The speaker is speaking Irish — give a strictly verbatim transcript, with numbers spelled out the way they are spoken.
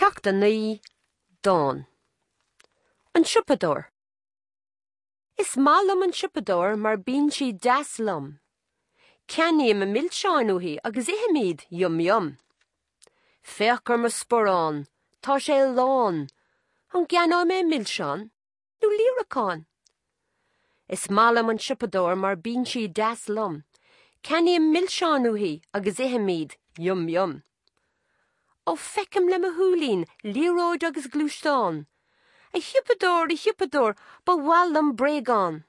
Ceacht a naoi, Dán. An Siopadóir. Is maith liom an siopadóir mar bíonn sí deas liom. Ceannaím na milseáin uaithi agus ithim iad, yum yum. Féach ar mo sparán, tá sé lán. An gceannóidh mé milseán nó líreacán? Is maith liom an siopadóir mar bíonn sí deas liom. Ceannaím milseáin uaithi agus ithim iad, yum yum. Ó feicim le mo shúilín, liathróid agus gluaisteán. A shiopadóir, a shiopadóir, ba mhaith liom bréagán.